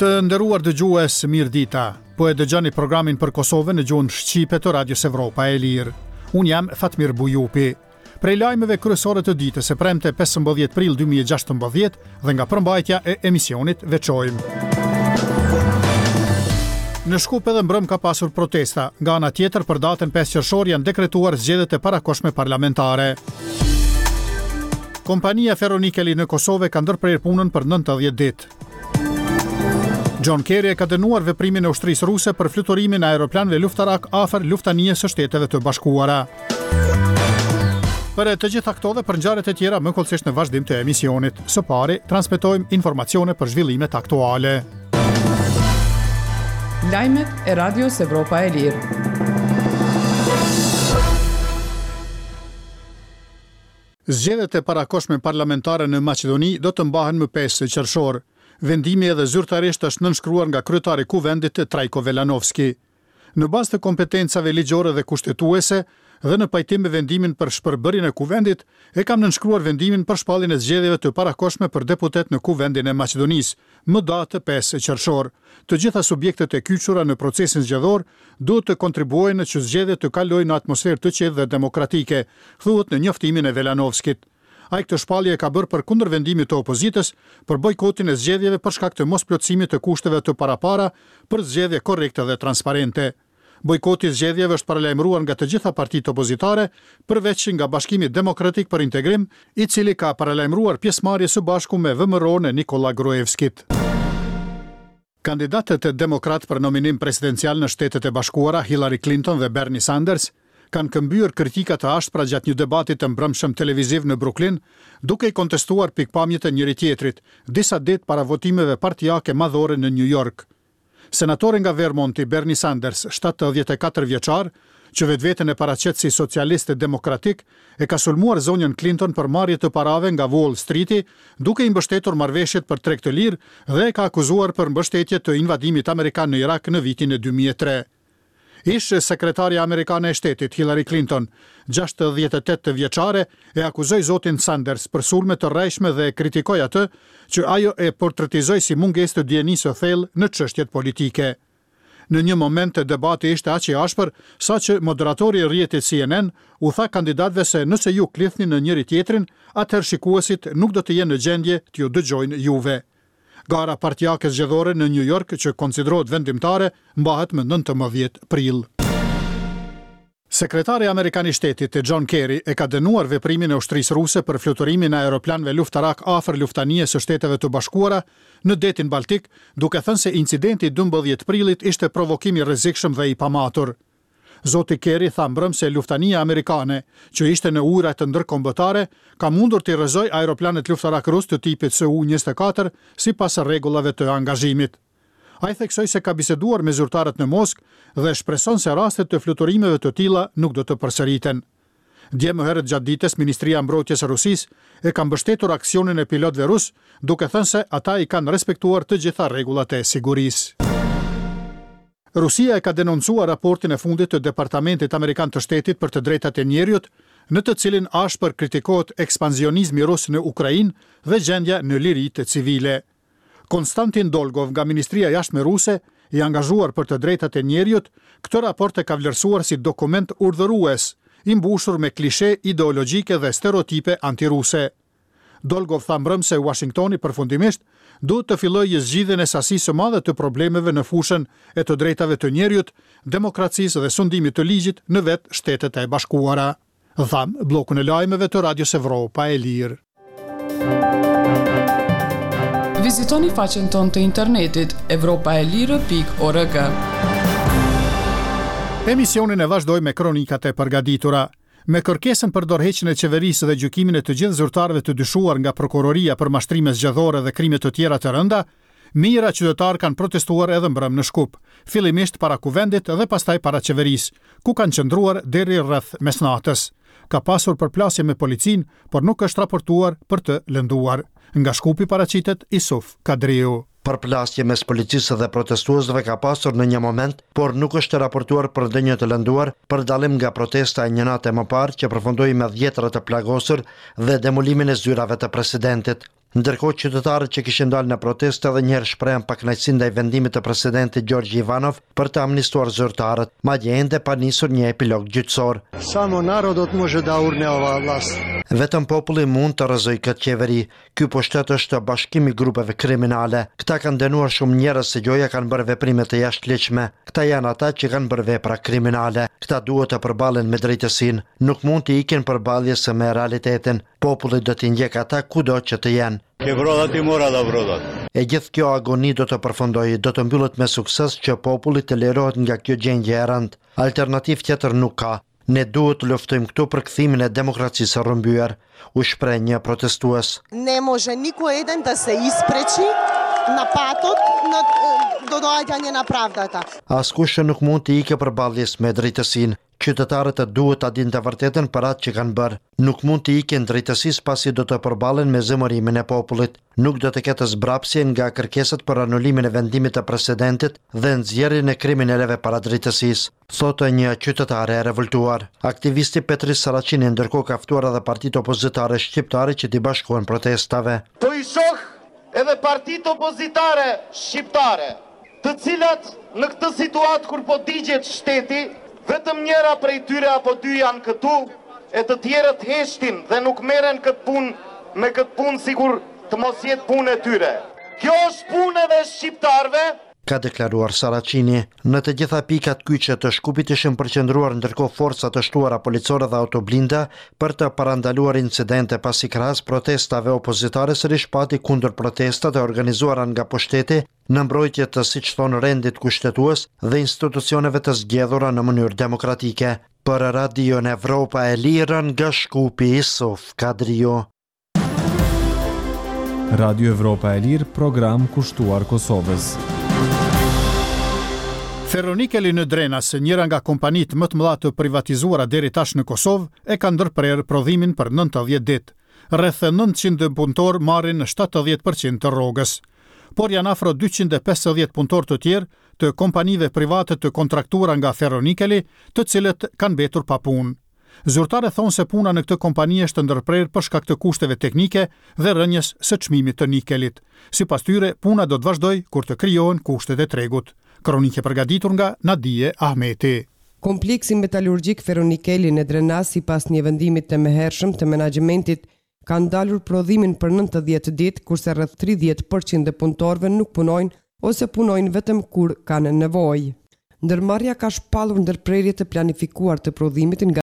Të nderuar dëgjues, mirëdita. Po e dëgjoni programin për Kosovën në gjuhën shqipe të Radios Evropa e Lirë. Unë jam Fatmir Bujupi. Prej lajmeve kryesore të ditës së premte 15 prill 2016 dhe nga përmbajtja e emisionit veçojmë. Në Shkup edhe mbrëm ka pasur protesta. Nga ana tjetër, për datën 5 qershor janë dekretuar zgjedhjet e parakohshme parlamentare. Kompania Ferronikeli në Kosovë ka ndërprerë punën për 90 ditë. John Kerry e ka dënuar veprimin e ushtrisë ruse për fluturimin e aeroplanëve luftarakë afër luftanijes së Shteteve të Bashkuara. Për të gjitha këto dhe për ngjarjet e tjera më hollësisht në vazhdim të emisionit. Së pari, transmetojmë informacione për zhvillimet aktuale. Lajmet e Radios Evropa e Lirë. Zgjedhjet e parakohshme parlamentare në Maqedoni do të mbahen më 5 qershor. Vendimi edhe zyrtarisht është nënshkruar nga kryetari i Kuvendit Trajko Velanovski. Në bazë të kompetencave ligjore dhe kushtetuese dhe në pajtim me vendimin për shpërbërjen e Kuvendit, e kam nënshkruar vendimin për shpalljen e zgjedhjeve të parakohshme për deputetë në Kuvendin e Maqedonisë, më datë 5 qershor. Të gjitha subjektet e kyçura në procesin zgjedhor duhet të kontribuojnë që zgjedhjet të kalojnë në atmosferë të qetë dhe demokratike, thuhet në njoftimin e Velanovskit. Ai këtë shpallje e ka bërë përkundër vendimit të opozitës për bojkotin e zgjedhjeve për shkak të mosplotësimit të kushteve të parapara për zgjedhje korrekte dhe transparente. Bojkoti i zgjedhjeve është paralajmëruar nga të gjitha partitë opozitare, përveç nga Bashkimi Demokratik për Integrim, i cili ka paralajmëruar pjesëmarrje së bashku me VMRO-në e Nikolla Gruevskit. Kandidatët demokratë për nominim presidencial në Shtetet e Bashkuara, Hillary Clinton dhe Bernie Sanders, kanë këmbyer kritika të ashpra gjatë një debati të mbrëmshëm televiziv në Brooklyn, duke i kontestuar pikëpamjet e njëri-tjetrit, disa ditë para votimeve partiake madhore në New York. Senatori nga Vermonti, Bernie Sanders, 74 vjeçar, që vetveten e paraqet si socialist demokratik, e ka sulmuar zonjën Clinton për marrje të parave nga Wall Streeti, duke i mbështetur marrëveshjet për treg të lirë dhe e ka akuzuar për mbështetje të invadimit amerikan në Irak në vitin 2003. Ish sekretarja amerikane e shtetit, Hillary Clinton, 68 vjeçare, e akuzoi zotin Sanders për sulme të rrejshme dhe e kritikoi atë që ajo e portretizoi si mungesë të dijenisë së thellë në çështjet politike. Në një moment debati ishte aq i ashpër, saqë moderatori i rrjetit CNN u tha kandidatëve se nëse ju klithni në njëri-tjetrin, atëherë shikuesit nuk do të jenë në gjendje t'ju dëgjojnë juve. Gara partiake zgjedhore në New York, që konsiderohet vendimtare, mbahet më 19 prill. Sekretari amerikan i shtetit, John Kerry, e ka dënuar veprimin e ushtrisë ruse për fluturimin e aeroplanëve luftarakë afër luftanijes së Shteteve të Bashkuara në Detin Baltik, duke thënë se incidenti i 12 prillit ishte provokim i rrezikshëm dhe i pamatur. Zoti Kerry tha mbrëm se luftanija amerikane, që ishte në ujërat ndërkombëtare, ka mundur t'i rrëzojë aeroplanët luftarakë rusë të tipit Su-24 sipas rregullave të angazhimit. Ai theksoi se ka biseduar me zyrtarët në Moskë dhe shpreson se raste të fluturimeve të tilla nuk do të përsëriten. Dje më herët gjatë ditës, Ministria e Mbrojtjes e Rusisë e ka mbështetur aksionin e pilotëve rusë, duke thënë se ata i kanë respektuar të gjitha rregullat e sigurisë. Rusia e ka denoncuar raportin e fundit të Departamentit Amerikan të Shtetit për të Drejtat e Njeriut, në të cilin ashpër kritikohet ekspansionizmi rus në Ukrainë dhe gjendja në liritë civile. Konstantin Dolgov nga Ministria e Jashtme Ruse, i angazhuar për të drejtat e njeriut, këtë raport e ka vlerësuar si dokument urdhërues, i mbushur me klishe ideologjike dhe stereotipe antiruse. Dolgov tha mbrëm se Uashingtoni përfundimisht duhet të fillojë zgjidhjen e sasisë së madhe të problemeve në fushën e të drejtave të njeriut, demokracisë dhe sundimit të ligjit në vetë Shtetet e Bashkuara. Dhamë bllokun e lajmeve të Radios Evropa e Lirë. Vizitoni faqen tonë të internetit evropaelire.org. Emisionin e vazhdojmë me kronikat e përgatitura. Me kërkesën për dorëheqjen e qeverisë dhe gjykimin e të gjithë zyrtarëve të dyshuar nga prokuroria për mashtrime zgjedhore dhe krime të tjera të rënda, mijëra qytetarë kanë protestuar edhe mbrëm në Shkup, fillimisht para Kuvendit dhe pastaj para qeverisë, ku kanë qëndruar deri rreth mesnatës. Ka pasur përplasje me policinë, por nuk është raportuar për të lënduar. Nga Shkupi paraqitet Isuf Kadriu. Përplasje mes policisë dhe protestuesve ka pasur në një moment, por nuk është raportuar për ndonjë të lënduar, për dallim nga protesta e një nate më parë që përfundoi me dhjetëra të plagosur dhe demolimin e zyrave të presidentit. Ndërkohë qytetarët që kishin dalë në protestë edhe njëherë shprehën pakënaqësinë ndaj vendimit të presidentit Gjorgji Ivanov për të amnistuar zyrtarët, madje ende pa nisur një epilog gjyqësor. Samo narodot može da urne ova vlast. Vetëm populli mund të rrëzojë këtë qeveri. Ky pushtet është bashkim i grupeve kriminale. Këta kanë dënuar shumë njerëz se gjoja kanë bërë veprime të jashtëligjshme. Këta janë ata që kanë bërë vepra kriminale. Këta duhet të përballen me drejtësinë. Nuk mund t'i ikin përballjes me realitetin. Populli do t'i ndjekë ata kudo që të jenë. Ke brodat i mora da brodat. E gjithë kjo agoni do të përfundojë, do të mbyllet me sukses që populli të lirohet nga kjo gjendje e rëndë. Alternativë tjetër nuk ka. Ne duhet të luftojmë këtu për kthimin e demokracisë së rrëmbyer, u shpreh një protestues. Ne može niko eden da se ispreči na patot na do doađanje na pravdata. Askush nuk mund t'i ikë përballjes me drejtësinë. Qytetarët duhet ta dinë të vërtetën për atë që kanë bërë. Nuk mund t'i ikin drejtësisë pasi do të përballen me zemërimin e popullit. Nuk do të ketë zbrapsje nga kërkesat për anulimin e vendimit të presidentit dhe nxjerrjen e kriminelëve para drejtësisë, thotë një qytetare e revoltuar. Aktivisti Petrit Saraçini ndërkohë ka ftuar edhe partitë opozitare shqiptare që t'i bashkohen protestave. Po i shoh edhe partitë opozitare shqiptare, të cilat në këtë situatë kur po digjet shteti, vetëm njëra prej tyre apo dy janë këtu, e të tjerët heshtin dhe nuk merren këtë punë me këtë punë sikur të mos jetë punë e tyre. Kjo është punë edhe e shqiptarëve. Ka deklaruar Saraçini. Në të gjitha pikat kyçe të Shkupit ishin përqendruar ndërkohë forca të shtuara policore dhe autoblinda për të parandaluar incidente pasi krahas protestave opozitare sërish pati kundërprotesta të organizuara nga pushteti në mbrojtje të siç thonë rendit kushtetues dhe institucioneve të zgjedhura në mënyrë demokratike. Për Radion Evropa e Lirë nga Shkupi Isuf Kadriu. Radio Evropa e Lirë, program kushtuar Kosovës. Ferronikeli në Drenas, njëra nga kompanitë më të mëdha të privatizuara deri tash në Kosovë, e ka ndërprerë prodhimin për 90 ditë. Rreth 900 punëtorë marrin 70% të rrogës. Por janë afro 250 punëtorë të tjerë të kompanive private të kontraktuara nga Ferronikeli, të cilët kanë mbetur pa punë. Zyrtarët thonë se puna në këtë kompani është ndërprerë për shkak të kushteve teknike dhe rënies së çmimit të nikelit. Sipas tyre, puna do të vazhdojë kur të krijohen kushtet e tregut. Kronikë e përgatitur nga Nadie Ahmeti. Kompleksi metalurgjik Ferronikeli në Drenas sipas një vendimi të mëhershëm të menaxhmentit ka ndalur prodhimin për 90 ditë, kurse rreth 30% e punëtorëve nuk punojnë ose punojnë vetëm kur kanë nevojë. Ndërmarrja ka shpallur ndërprerje të planifikuar të prodhimit nga.